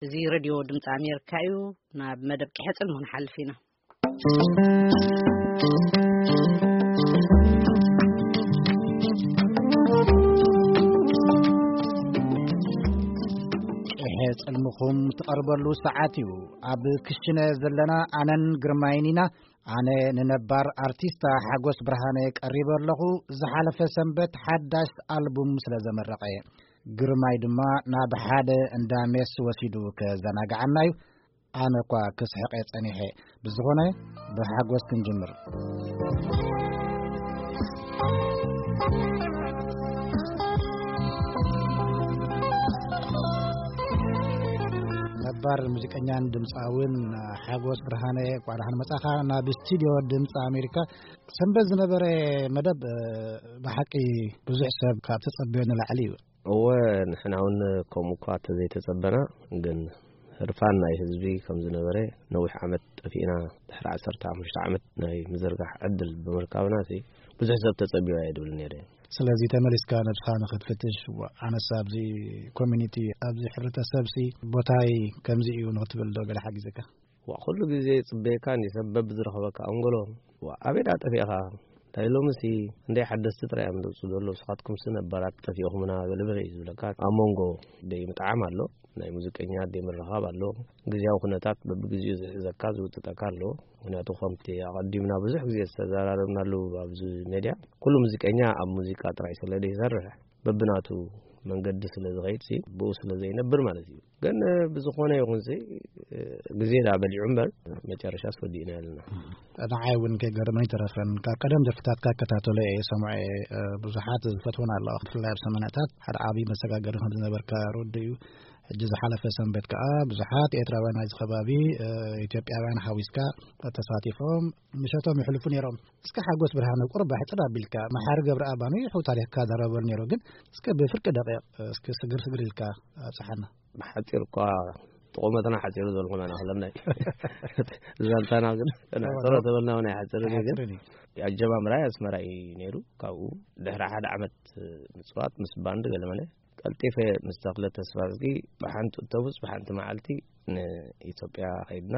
እዚ ሬድዮ ድምፂ ኣሜሪካ እዩ። ናብ መደብ ቅሐ ጽልሙ ንሓልፍ ኢና። ቅሐ ጽልምኹም ትቐርበሉ ሰዓት እዩ። ኣብ ክሽነ ዘለና ኣነን ግርማይን ኢና። ኣነ ንነባር ኣርቲስታ ሓጎስ ብርሃነ ቀሪበ ኣለኹ። ዝሓለፈ ሰንበት ሓዳሽ ኣልቡም ስለ ዘመረቐ፣ ግርማይ ድማ ናብ ሓደ እንዳ ሜስ ወሲዱ ከዘናግዓና እዩ። ኣነ እኳ ክስሕቐ ጸኒሐ። ብዝኾነ፣ ብሓጎስ ክንጅምር። ነባር ሙዚቀኛን ድምፃውን ሓጎስ ብርሃነ፣ እንኳዕ ደሓን መጻኻ። ናብ ስቱዲዮ ድምፂ ኣሜሪካ። ሰንበት ዝነበረ መደብ፣ እ፣ ብሓቂ ብዙሕ ሰብ ካብ ተጸበዮ ንላዕሊ እዩ። እወ፣ ንሕና እውን ከምኡ እኳ ተዘይተጸበና፣ ግን ህርፋን ናይ ህዝቢ ከም ዝነበረ፣ ነዊሕ ዓመት ጠፊእና፣ ድሕሪ ዓሰርተ ሓሙሽተ ዓመት ናይ ምዝርጋሕ ዕድል ብምርካብና፣ እቲ ብዙሕ ሰብ ተጸብዮ ኣይድብል ነይረ። ስለዚ ተመሊስካ ነብስኻ ንኽትፍትሽ፣ ዋ፣ ኣነስ ኣብዚ ኮሚኒቲ፣ ኣብዚ ሕብረተሰብሲ ቦታይ ከምዚ እዩ ንኽትብል ዶ ገለ ሓጊዘካ? ዋ፣ ኩሉ ግዜ ጽበየካ እንዲ ሰብ በብዝረኸበካ ኣንጎሎ። ዋ፣ ኣበይ ደኣ ጠፊእኻ? እንታይ ሎምሲ እንደ ሓደስቲ ጥራይ እዮም ዝወጹ ዘለዉ፣ ንስኻትኩምሲ ነባራት ጠፊእኹምና ገለ በለ እዩ ዝብለካ። ኣብ መንጎ ደይ ምጥዓም ኣሎ፣ ናይ ሙዚቀኛ ደይ ምርኻብ ኣሎ፣ ግዜያዊ ኩነታት በብግዜኡ ዝሕዘካ ዝውጥጠካ ኣሎ። ምኽንያቱ ከምቲ ኣቐዲምና ብዙሕ ግዜ ዝተዘራረብናሉ ኣብዚ ሜድያ፣ ኩሉ ሙዚቀኛ ኣብ ሙዚቃ ጥራይ ስለ ዘይሰርሕ፣ በብናቱ መንገዲ ስለ ዝኸይድሲ፣ ብኡ ስለ ዘይነብር ማለት እዩ። ግን ብዝኾነ ይኹንሲ፣ ግዜ ዳ በሊዑ እምበር፣ መጨረሻስ ወዲእና ኣለና። ንዓይ እውን ከይገርመኒ ተረፈን፣ ካብ ቀደም ደርፍታትካ እከታተሎ እየ፣ ሰምዖ እየ። ብዙሓት ዝፈትወን ኣለዋ፣ ብፍላይ ኣብ ሰማንያታት ሓደ ዓብዪ መሰጋገሪ ከም ዝነበርካ ርዱእ እዩ። ሕጂ ዝሓለፈ ሰንበት ከኣ ብዙሓት ኤርትራውያን ናይዚ ከባቢ፣ ኢትዮጵያውያን ሓዊስካ ተሳቲፎም ምሸቶም ይሕልፉ ነይሮም። እስከ ሓጎስ ብርሃነ ቁሩብ ኣሕጽር ኣቢልካ፣ መሓሪ ገብረኣብ ኣንዊሑ ታሪኽካ ዘረበሉ ነይሩ፣ ግን እስከ ብፍርቂ ደቂቕ፣ እስከ ስግር ስግር ኢልካ ኣብጽሓና። ብሓጺር እኳ ተቖመትና ሓጺሩ ዘልኩ መና ክለምናይ። ዛንታና ግን እዋ፣ ተሮ ተበልና እውን ኣይሓጽርን እዩ፣ ግን ኣሕጽርን እዩ። ኣጀማምራይ ኣስመራ እዩ ነይሩ። ካብኡ ድሕሪ ሓደ ዓመት ምጽዋት ምስ ባንድ ገለመለ ቀልጢፈ ምስ ተኽለ ተስፋዝጊ ብሓንቲ ኣውቶቡስ ብሓንቲ መዓልቲ ንኢትዮጵያ ከይድና።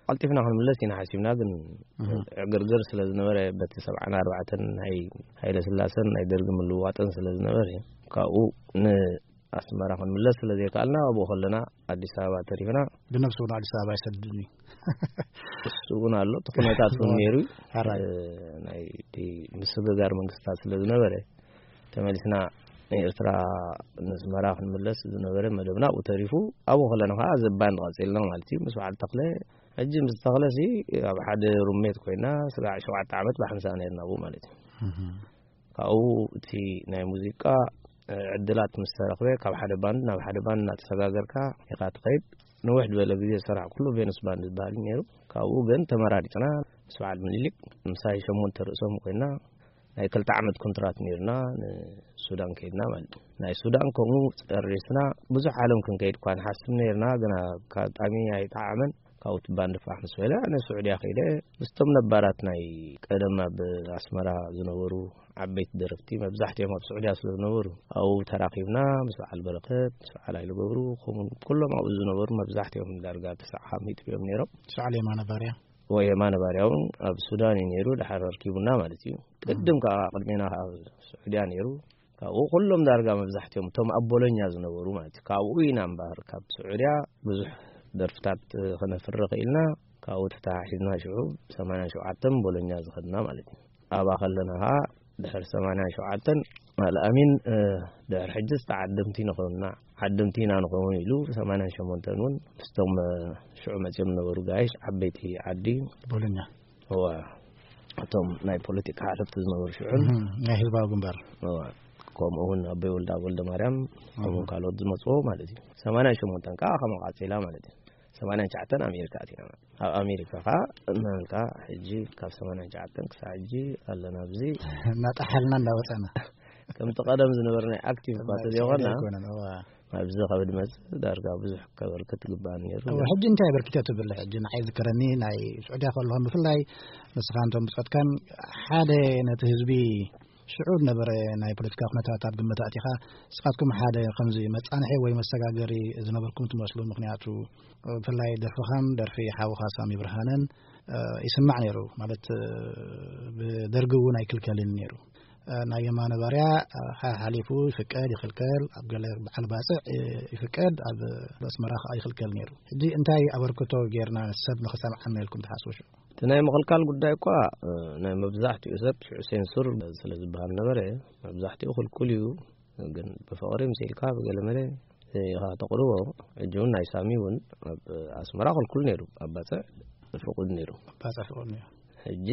ቀልጢፍና ክንምለስ ኢና ሓሲብና፣ ግን እህ። ዕግርግር ስለ ዝነበረ፣ በቲ ሰብዓን ኣርባዕተን ናይ ሃይለ ስላሰን ናይ ደርጊ ምልውዋጥን ስለ ዝነበረ፣ ካብኡ ንኣስመራ ክንምለስ ስለ ዘይከኣልና፣ ኣብኡ ከለና ኣዲስ ኣበባ ተሪፍና። ብነብሱ እውን ኣዲስ ኣበባ ይሰድድኒ። እሱ እውን ኣሎ፣ እቲ ኩነታት እውን ነይሩ እዩ። ሕራይ። እ፣ ናይ እቲ ምስግጋር መንግስታት ስለ ዝነበረ፣ ተመሊስና ንኤርትራ፣ ንኣስመራ ክንምለስ ዝነበረ መደብና ኣብኡ ተሪፉ። ኣብኡ ከለና ከዓ ዘባን ቀጺልና ማለት እዩ፣ ምስ በዓል ተኽለ። ሕጂ ምስ ተኽለሲ ኣብ ሓደ ሩሜት ኮይና፣ ስጋዕ ሸውዓተ ዓመት ብሓንሳእ ነርና ኣብኡ ማለት እዩ። እህ። ካብኡ እቲ ናይ ሙዚቃ፣ እ፣ ዕድላት ምስ ተረኽበ፣ ካብ ሓደ ባንድ ናብ ሓደ ባንድ እናተሰጋገርካ ኢኻ ትኸይድ። ንውሕ ዝበለ ግዜ ዝሰራሕኩሉ ቬኑስ ባንድ ዝበሃል እዩ ነይሩ። ካብኡ ግን ተመራሪጽና ምስ በዓል ምኒልክ፣ ምሳይ ሸሞንተ ርእሶም ኮይና፣ ናይ ክልተ ዓመት ኮንትራት ነይርና፣ ንሱዳን ከይድና ማለት እዩ። ናይ ሱዳን ከምኡ ጨሪስና፣ ብዙሕ ዓለም ክንከይድ እኳ ንሓስብ ነይርና፣ ግን ኣጋጣሚ ኣይጠዓመን። ካብኡ እቲ ባንድ ፋሕ ምስ በለ፣ ኣነ ስዑድያ ከይደ፣ ምስቶም ነባራት ናይ ቀደም ኣብ ኣስመራ ዝነበሩ ዓበይቲ ደረፍቲ፣ መብዛሕትኦም ኣብ ስዑድያ ስለ ዝነበሩ፣ ኣብኡ ተራኺብና፣ ምስ በዓል በረኸት፣ ምስ በዓል ሃይለ ገብሩ፣ ከምኡ ኩሎም ኣብኡ ዝነበሩ መብዛሕትኦም ዳርጋ ተስዓ ሚእቲ እዮም ነይሮም። ሰዓል የማነ ባርያ። ወይ የማነ ባርያ እውን ኣብ ሱዳን እዩ ነይሩ፣ ድሓር ኣርኪቡና ማለት እዩ። ቅድም ከዓ ቅድሜና ኣብ ስዑድያ ነይሩ። ካብኡ ኩሎም ዳርጋ መብዛሕትኦም እቶም ኣብ ቦሎኛ ዝነበሩ ማለት እዩ። ካብኡ ኢና እምበኣር ካብ ስዑድያ ብዙሕ ደርፍታት ክነፍሪ ኽኢልና። ካብኡ ተተሓሒዝና ሽዑ ሰማንያን ሸውዓተን ቦሎኛ ዝኸድና ማለት እዩ። ኣብኣ ከለና ኸዓ ድሕሪ ሰማንያን ሸውዓተን ኣልኣሚን፣ እ፣ ድሕሪ ሕጂ ዝተዓደምቲ ንኾንና፣ ዓደምቲ ኢና ንኸውን ኢሉ ሰማንያን ሸሞንተን እውን ምስቶም፣ እ፣ ሽዑ መፅዮም ዝነበሩ ጋይሽ ዓበይቲ ዓዲ ቦሎኛ። እዋ፣ እቶም ናይ ፖለቲካ ሓለፍቲ ዝነበሩ ሽዑን። እህ፣ ናይ ህዝባዊ ግንባር። እዋ፣ ከምኡ እውን ኣቦይ ወልደኣብ ወልደ ማርያም፣ ከምኡ እህ። ካልኦት ዝመፅዎ ማለት እዩ። ሰማንያን ሸሞንተን ከዓ ከምኡ ቀፂላ ማለት እዩ። ሰማንያን ትሽዓተን ኣሜሪካ ኣቲና ማለት እዩ። ኣብ ኣሜሪካ ከዓ እናበልካ ሕጂ ካብ ሰማንያን ትሽዓተን ክሳዕ ሕጂ ኣለና ኣብዚ። እናጠሓልና እናወፀና። ከምቲ ቀደም ዝነበርና ኣክቲቭ እኳ ተዘይኮና፣ ኣይኮነን፣ እዋ። ኣብዚ ካብ ድመጽ ዳርጋ ብዙሕ ከበርክት ግባእ ነይሩ። እዋ፣ ሕጂ እንታይ ኣበርኪተ ትብል? ሕጂ ንዓይ ዝከረኒ ናይ ስዑድያ ከለኹም ብፍላይ ንስኻን እቶም ብጾትካን ሓደ ነቲ ህዝቢ ሽዑ ዝነበረ ናይ ፖለቲካ ኩነታት ኣብ ግምት ኣእቲኻ፣ ንስኻትኩም ሓደ ከምዚ መጻንሒ ወይ መሰጋገሪ ዝነበርኩም ትመስሉ። ምኽንያቱ፣ ብፍላይ ደርፍኻን ደርፊ ሓውኻ ሳሚ ብርሃነን፣ እ፣ ይስማዕ ነይሩ። ማለት፣ እ፣ ብደርጊ እውን ኣይክልከልን ነይሩ። እ፣ ናይ የማነ ባርያ፣ እ፣ ሓ-፣ ሓሊፉ ይፍቀድ ይኽልከል፣ ኣብ ገለ በዓል ባጽዕ፣ እ፣ ይፍቀድ፣ ኣብ ኣስመራ ከኣ ይኽልከል ነይሩ። ሕጂ እንታይ ኣበርክቶ ጌርና ሰብ ንኽሰምዓና ኢልኩም ትሓስቡ ሽዑ? እቲ ናይ ምኽልካል ጉዳይ እኳ፣ እ፣ ናይ መብዛሕትኡ ሰብ ሽዑ ሴንሱር ስለ ዝበሃል ነበረ፣ መብዛሕትኡ ክልኩል እዩ። ግን ብፍቕሪ ምስ ኢልካ ብገለ መለ ኢኻ ተቕርቦ። ሕጂ እውን ናይ ሳሚ እውን ኣብ ኣስመራ ክልኩል ነይሩ፣ ኣብ ባጽዕ ፍቑድ ነይሩ። ባጽዕ ፍቑድ ነይሩ። ሕጂ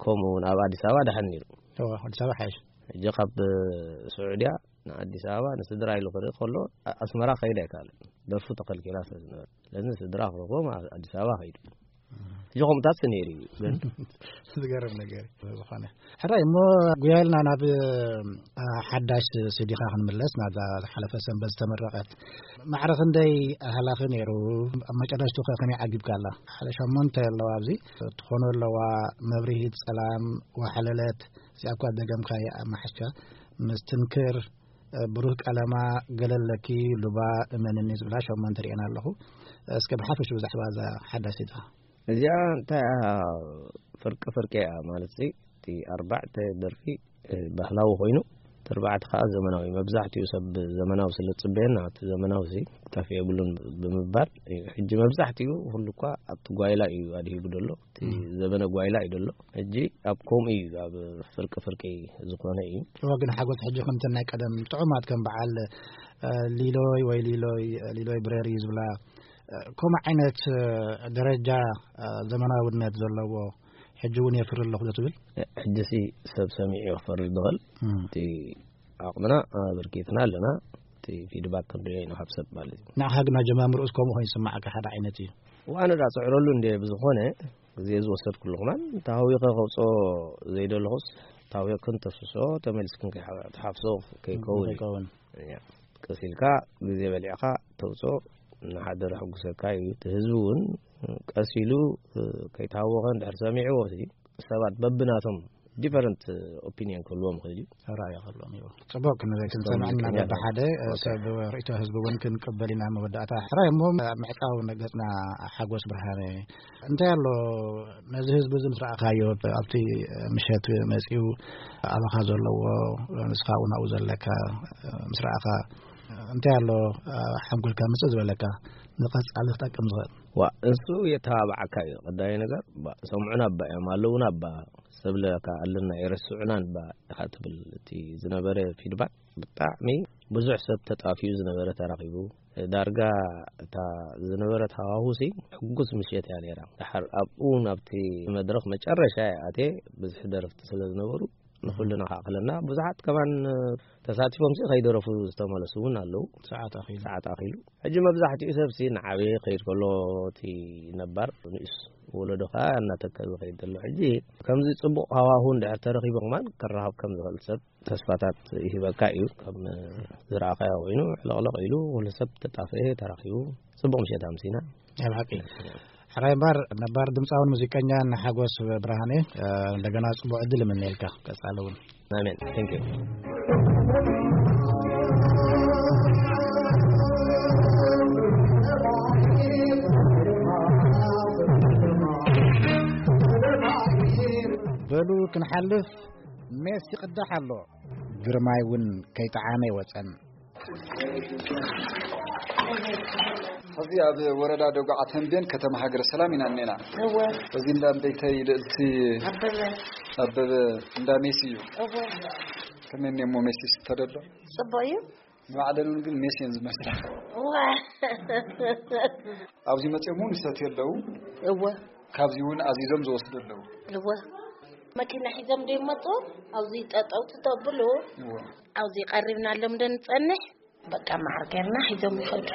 ከምኡ እውን ኣብ ኣዲስ ኣበባ ደሓን ነይሩ። እወ፣ ኣዲስ ኣበባ ሓይሽ። ሕጂ ካብ ስዑድያ ንኣዲስ ኣበባ ንስድራ ኢሉ ክርኢ ከሎ፣ ኣ-፣ ኣስመራ ከይድ ኣይከኣለን። ደርፉ ተኸልኪላ ስለ ዝነበረ። ስለዚ ንስድራ ክረኽቦም ኣ-፣ ኣዲስ ኣበባ ከይዱ። ሕጂ ከምኡታት ነይሩ እዩ፣ ግን ዝገርም ነገር እዩ። ዝኾነ ሕራይ እሞ፣ ጉያልና ናብ፣ እ፣ ሓዳሽ ሲዲኻ ክንምለስ፣ ናብዛ ዝሓለፈ ሰንበት ዝተመረቐት። ማዕረ ክንደይ ሃላኺ ነይሩ? ኣብ መጨረሽቱ ከ ከመይ ዓጊብካ ኣላ? ሓደ ሸሞንተ ኣለዋ ኣብዚ። ትኾኖ ኣለዋ፣ መብርሂት ጸላም፣ ዋሕለለት፣ እዚኣ እኳ ደገምካያ ኣብ መሓሻ፣ ምስትንክር፣ እ፣ ብሩህ ቀለማ፣ ገለለኪ፣ ሉባ፣ እመንኒ ዝብላ ሸሞንተ ሪኤን ኣለኹ። እስከ ብሓፈሽ ብዛዕባ እዛ ሓዳሽ ሲዲኻ። እዚኣ እንታይ እያ? ፍርቂ ፍርቂ እያ ማለት ሲ፣ እቲ ኣርባዕተ ደርፊ፣ እ፣ ባህላዊ ኮይኑ፣ እቲ ኣርባዕተ ከኣ ዘመናዊ። መብዛሕትኡ ሰብ ዘመናዊ ስለ ዝጽበየና፣ እቲ ዘመናዊ ሲ ክጠፍእ የብሉን ብምባል እዩ። ሕጂ መብዛሕትኡ ኩሉ እኳ ኣብቲ ጓይላ እዩ ኣድሂቡ ደሎ። እቲ እም። ዘበነ ጓይላ እዩ ደሎ። ሕጂ ኣብ ከምኡ እዩ፣ ኣብ ፍርቂ ፍርቂ ዝኾነ እዩ። እወ፣ ግን ሓጎስ ሕጂ ከምተን ናይ ቀደም ጥዑማት ከም በዓል፣ እ፣ ሊሎይ ወይ ሊሎይ፣ ሊሎይ ብረር እዩ ዝብላ፣ እ፣ ከምኡ ዓይነት፣ እ፣ ደረጃ፣ እ፣ ዘመናውነት ዘለዎ ሕጂ እውን የፍሪ ኣለኹ ዶ ትብል? ሕጂ ሲ ሰብ ሰሚዑ ክፈርድ ዝኽእል። እም። እቲ ዓቕምና ኣበርኪትና ኣለና። እቲ ፊድባክ ክንሪኦ ኢና ካብ ሰብ ማለት እዩ። ንዓኻ ግን ኣጀማምርኡስ ከምኡ ኮይኑ ይስምዓካ፣ ሓደ ዓይነት እዩ? ዋነ ዳ ጽዕረሉ እንደ ብዝኾነ ግዜ ዝወሰድኩሉ ከማን፣ ታህዊኸ ከውጽኦ ዘይደለኹስ፣ ታህዊኽን ተፍስሶ፣ ተመሊስክን ከይሓ-፣ ትሓፍሶ ከይከውን እዩ። ከይከውን። እያ። ቀስ ኢልካ ግዜ በሊዕካ ተውጽኦ ንሓደ ረሕጉሰካ እዩ። እቲ ህዝቢ እውን ቀስ ኢሉ ከይተሃወኸ እንድሕር ሰሚዕዎ፣ እቲ ሰባት በብናቶም ዲፈረንት ኦፒንየን ክህልዎም ይኽእል እዩ። ራእይ ክህልዎም እዩ። ጽቡቅ፣ ክንርኢ፣ ክንሰምዕ ኢና። ፖለቲከኛ በብሓደ ኦኬ። ሰብ ርእይቶ ህዝቢ እውን ክንቅበል ኢና። መወዳእታ ሕራይ እሞ፣ ምዕጻው ገጽና ሓጎስ ብርሃነ፣ እንታይ ኣሎ ነዚ ህዝቢ እዚ ምስ ረኣኻዮ፣ ኣብቲ ምሸት መጺኡ ኣባኻ ዘለዎ፣ ንስኻ እውን ኣብኡ ዘለካ ምስ ረኣኻ፣ እንታይ ኣሎ ሓንጎልካ ምጽእ ዝበለካ ንቐጻሊ ክጠቅም ዝኽእል? ዋ፣ እሱ የተባብዓካ እዩ። ቀዳማይ ነገር፣ ባ፣ ሰምዑና እባ እዮም፣ ኣለዉና እባ፣ ሰብለካ ኣለና፣ የረስዑና እባ ኢኻ ትብል። እቲ ዝነበረ ፊድባክ ብጣዕሚ ብዙሕ ሰብ ተጣፍዩ ዝነበረ ተራኺቡ። ዳርጋ እታ ዝነበረት ሃዋሁሲ ሕጉስ ምሸት እያ ነይራ። ድሓር ኣብኡ ናብቲ መድረኽ መጨረሻ እየ ኣትየ፣ ብዝሒ ደረፍቲ ስለ ዝነበሩ ንኹልና ክኣኽለና። ብዙሓት ከማን ተሳቲፎም ሲ ከይደረፉ ዝተመለሱ እውን ኣለዉ። ሰዓት ኣኺሉ። ሰዓት ኣኺሉ። ሕጂ መብዛሕትኡ ሰብ ሲ ንዓበየ ከይድ ከሎ እቲ ነባር ንእስ ወለዶ ከኣ እናተከበ ከይድ ዘሎ። ሕጂ ከምዚ ጽቡቕ ሃዋሁ እንድሕር ተረኺቡ ከማን ክረኻብ ከም ዝኽእል ሰብ ተስፋታት ይህበካ እዩ። ከም ዝረኣኻዮ ኮይኑ ዕለቕለቕ ኢሉ ኩሉ ሰብ ተጣፈኤ ተራኺቡ ጽቡቕ ምሸት ኣምሲና። ናይ ብሓቂ። ሕራይ እምበር ነባር ድምፃውን ሙዚቀኛን ሓጎስ ብርሃኔ፣ እ፣ እንደገና ጽቡቕ ዕድል እምነየልካ። ቀጻሊ እውን። ኣሜን። Thank you። በሉ ክንሓልፍ፣ ሜስ ይቕዳሕ ኣሎ። ግርማይ እውን ከይጠዓመ ይወጸን። ሕዚ ኣብ ወረዳ ደጉዓ ተንቤን ከተማ ሃገረ ሰላም ኢና እኔና። እወ። እዚ እንዳ ቤተይ ልእልቲ ኣበበ። ኣበበ እንዳ ሜሲ እዩ። እወ። ከመይ እሞ ሜሲ ስተደሎ? ጽቡቕ እዩ። ንባዕለን እውን ግን ሜሲ እየን ዝመስላ። እወ። ኣብዚ መፅኦም እውን ይሰትዩ ኣለዉ። እወ። ካብዚ እውን ኣዚዞም ዝወስዱ ኣለዉ። እወ። መኪና ሒዞም ዶ ይመፁ? ኣብዚ ጠጠው ትተብሉ? እወ። ኣብዚ ቀሪብናሎም ዶ ንጸንሕ? በቃ መዓር ጌርና ሒዞም ይኸዱ።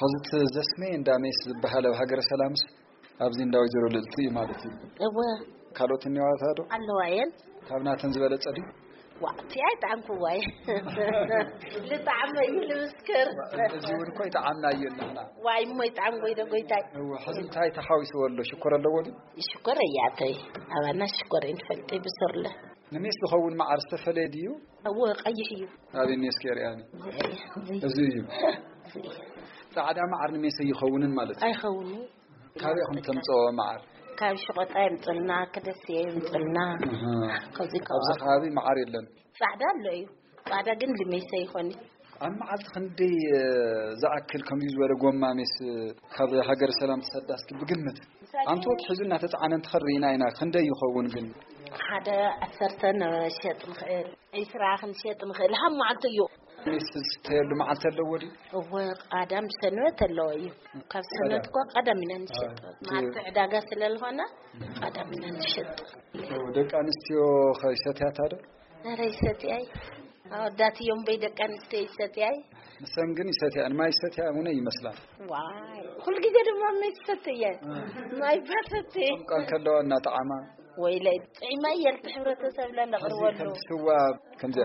ሕዚ እቲ ዘስሜ እንዳ ሜስ ዝበሃል ኣብ ሃገረ ሰላምስ ኣብዚ እንዳ ወይዘሮ ልእልቲ እዩ ማለት እዩ። እወ። ካልኦት እኒዋታ ዶ? ኣለዋ እየን። ካብ ናተን ዝበለጸ ድዩ? ዋ፣ እቲ ኣይጠዓምኩዋይ። ልጣዕመ እዩ ልምስክር። እዚ እውን እኮ ይጠዓምና እዩ ንሕና። ዋይ እሞ ይጠዓም ጎይደ ጎይታይ። እወ፣ ሕዚ እንታይ ተሓዊስዎ ኣሎ? ሽኮር ኣለዎ ድዩ? ሽኮር እያተይ። ኣባና ሽኮር እንፈልጥ ብሰርለ። ንሜስ ዝኸውን መዓር ዝተፈለየ ድዩ? እወ፣ ቀይሕ እዩ። ኣበይ ሜስ ከርእያኒ? እዚ እዩ። እዚ እዩ። እዚ እዩ። ጻዕዳ መዓር ንሜስ ኣይኸውንን ማለት እዩ። ኣይኸውንን። ካበይ ኢኹም ተምጽኦ መዓር? ካብ ሸቆጣ የምጽልና፣ ከደስየ የምጽልና። ኣሃ። ካብዚ ኣብዚ ከባቢ። ከባቢ መዓር የለን? ጻዕዳ ኣሎ እዩ። ጻዕዳ ግን ንሜስ ኣይኾን። ኣብ መዓልቲ ክንደይ፣ እ፣ ዝኣክል ከምዚ ዝበለ ጎማ ሜስ ካብ ሃገረ ሰላም ትሰዳ? እስኪ ብግምት። ኣንቱ ወጥ ሒዙ እናተጻዕነ እንትኸድ ርኢና ኢና። ክንደይ ይኸውን ግን? ሓደ ዓሰርተ ንሸጥ ንኽእል፣ ዒስራ ክንሸጥ ንኽእል። ሃብ መዓልቱ እዩ። ሜስ ዝስተየሉ መዓልቲ ኣለዎ ድዩ? እወ፣ ቀዳም ሰንበት ኣለዎ እዩ። ካብ ሰንበት እኳ ቀዳም ኢና ንሸጥ። ኣዎ። መዓልቲ ዕዳጋ ስለ ዝኾነ ቀዳም ኢና ንሸጥ። ደቂ ኣንስትዮ ከ ይሰትያታ ዶ? ኧረ ይሰትያይ። ኣወዳት እዮም በይ ደቂ ኣንስትዮ ይሰትያይ። ንሰን ግን ይሰትያ፣ ማይ ይሰትያ እውን ይመስላ። ዋይ፣ ኩልግዜ ድማ ማይ ትሰትየ። እ። ማይ ባሰትየ። ጨምቃ እንከለዋ እናጠዓማ። ወይለይ፣ ጥዒማ እየ ልቲ ሕብረተሰብ ለነቕርበሉ። ከምዚ ስዋ፣ ከምዚ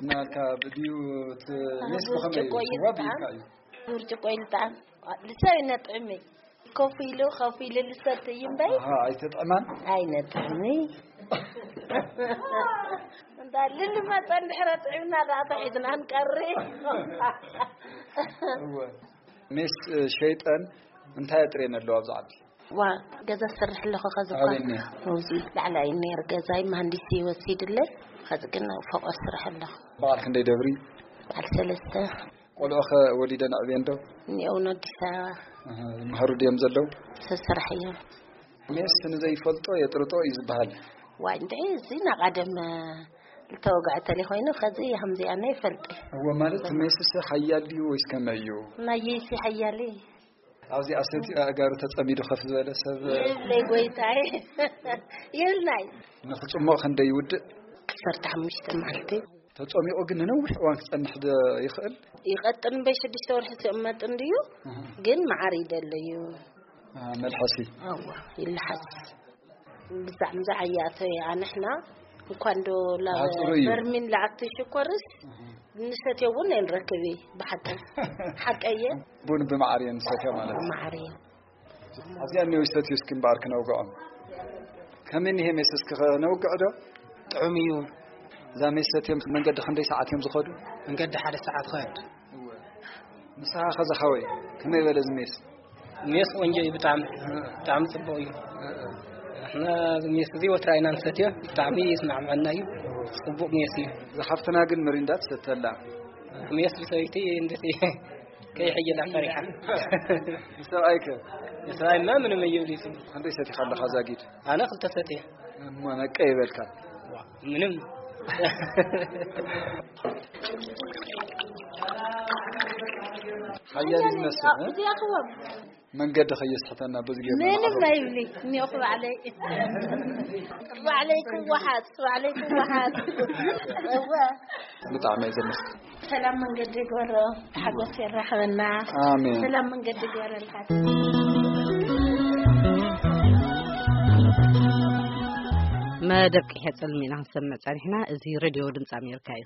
እናልካ ብድዩ እቲ ሜስ ብኸመይ እዩ? ብርጭቆ እዩ ስዋ ዝጠዓም። ብይካ እዩ። ብርጭቆ እዩ ዝጠዓም። ልሳብ ይነጥዕመይ። ኮፍ ኢሉ፣ ኮፍ ኢሉ ልሰቲ እዩ እምበይ። ኣሃ፣ ኣይተጥዕማን? ኣይነጥዕሚ። እንዳ ልልመጸ እንድሕረ ጥዕምና ደኣ ተሒዝና ንቀሪ። እወ። ሜስ፣ እ፣ ሸይጠን እንታይ ኣጥርየን ኣለዋ ኣብዚ ዓዲ? ዋ፣ ገዛ ዝሰርሕ ኣለኹ ከዚ እኳ። ኣበይ እኒኦ? ኣብዚ ላዕላይ ነይር ገዛይ መሃንዲስ ይወሲድለይ። ከዚ ግን ፎቆ ስራሕ ኣለኹ። በዓል ክንደይ ደብሪ? በዓል ሰለስተ። ቆልዑ ኸ ወሊደን ኣዕብየን ዶ? እኒኦውን ኣዲስ ኣበባ። ኣሃ፣ ይምሃሩ ድዮም ዘለዉ? ሰብ ስራሕ እዮም። ሜስ ንዘይፈልጦ የጥርጦ እዩ ዝበሃል። ዋይ፣ እንድዒ እዚ ናቐደም ዝተወግዐ ተለይ ኮይኑ፣ ከዚ ከምዚኣ ናይ ፈልጢ። እወ፣ ማለት ሜስስ ሓያል ድዩ ወይስ ከመይ እዩ? ናየይሲ ሓያል እዩ። ኣብዚኣ ሰቲኡ ኣእጋሩ ተጸሚዱ ከፍ ዝበለ ሰብ የብለይ ጎይታይ። የብልናይ። ንኽጽሞቕ ክንደይ ይውድእ? ዓሰርተ ሓሙሽተ መዓልቲ። ተጸሚቑ ግን ንነዊሕ እዋን ክጸንሕ ዶ ይኽእል? ይቐጥን እምበይ ሽዱሽተ ወርሒ ዝቕመጥ እንድዩ፣ እህ። ግን መዓር ይደሊ እዩ። አ፣ መልሐሲ። ኣዋ፣ ይልሓስ። ብዛዕባ ዝዓያቶ ኣንሕና እንኳን ዶ ላ-፣ ኣጽሩ እዩ። በርሚን ለኣቱ ሽኮርስ እህ። ንሰትዮ እውን ኣይንረክብ እዩ። ብሓቂ። ሓቀየ? ቡን ብመዓር እየን ንሰትዮ ማለት እዩ። መዓር እዩ። ኣብዚኣ እኒኦ ይሰትዩ እስኪ እምበኣር ክነውግዖም። ከመይ እኒሄ ሜስ እስኪ ከነውግዕ ዶ? ጥዑም እዩ። እዛ ሜስ ሰትዮም መንገዲ ክንደይ ሰዓት እዮም ዝኸዱ? መንገዲ ሓደ ሰዓት ኸድ። እወ። ንስኻ ኸ ዝሓወይ፣ ከመይ በለ እዚ ሜስ? ሜስ ቆንጆ እዩ ብጣዕሚ፣ ብጣዕሚ ጽቡቕ እዩ። ንሕና እዚ ሜስ እዚ ወትራ ኢና ንሰትዮ፣ ብጣዕሚ ይስማዕመዐና እዩ። ጽቡቕ ሜስ እዩ። እዛ ሓፍትና ግን ምሪንዳ ትሰተላ። ሜስ ብሰበይቲ እንደት ከይሕየላ ፈሪሓ። ንሰብኣይከ? ንሰብኣይማ ምንም እዩ ይብሉ ይጽቡቕ። ክንደይ ሰቲኻ ኣለኻ ዛጊድ? ኣነ ክልተ ሰትየ። እሞ ነቀ ይበልካ። ምንም። ሓያል እዩ ዝመስል፣ እ? እዚኣኽዎም። መንገዲ ከየስሕተና በዚ ገይርና ምንም ንዓኹም። ኣይብሊ። እኒኦኹ ባዕለይ። ባዕለይ ክወሓጥ፣ ባዕለይ ክወሓጥ። እወ። ብጣዕሚ እዩ ዘመስግን። ሰላም መንገዲ ይግበሮ፣ ሓጎስ የራኽበና። ኣሜን። ሰላም መንገዲ ይግበረልካ። መደብ ቅሄ ጽልሚ ኢና ክንሰምዕ ጸኒሕና። እዚ ሬድዮ ድምፂ ኣሜሪካ እዩ።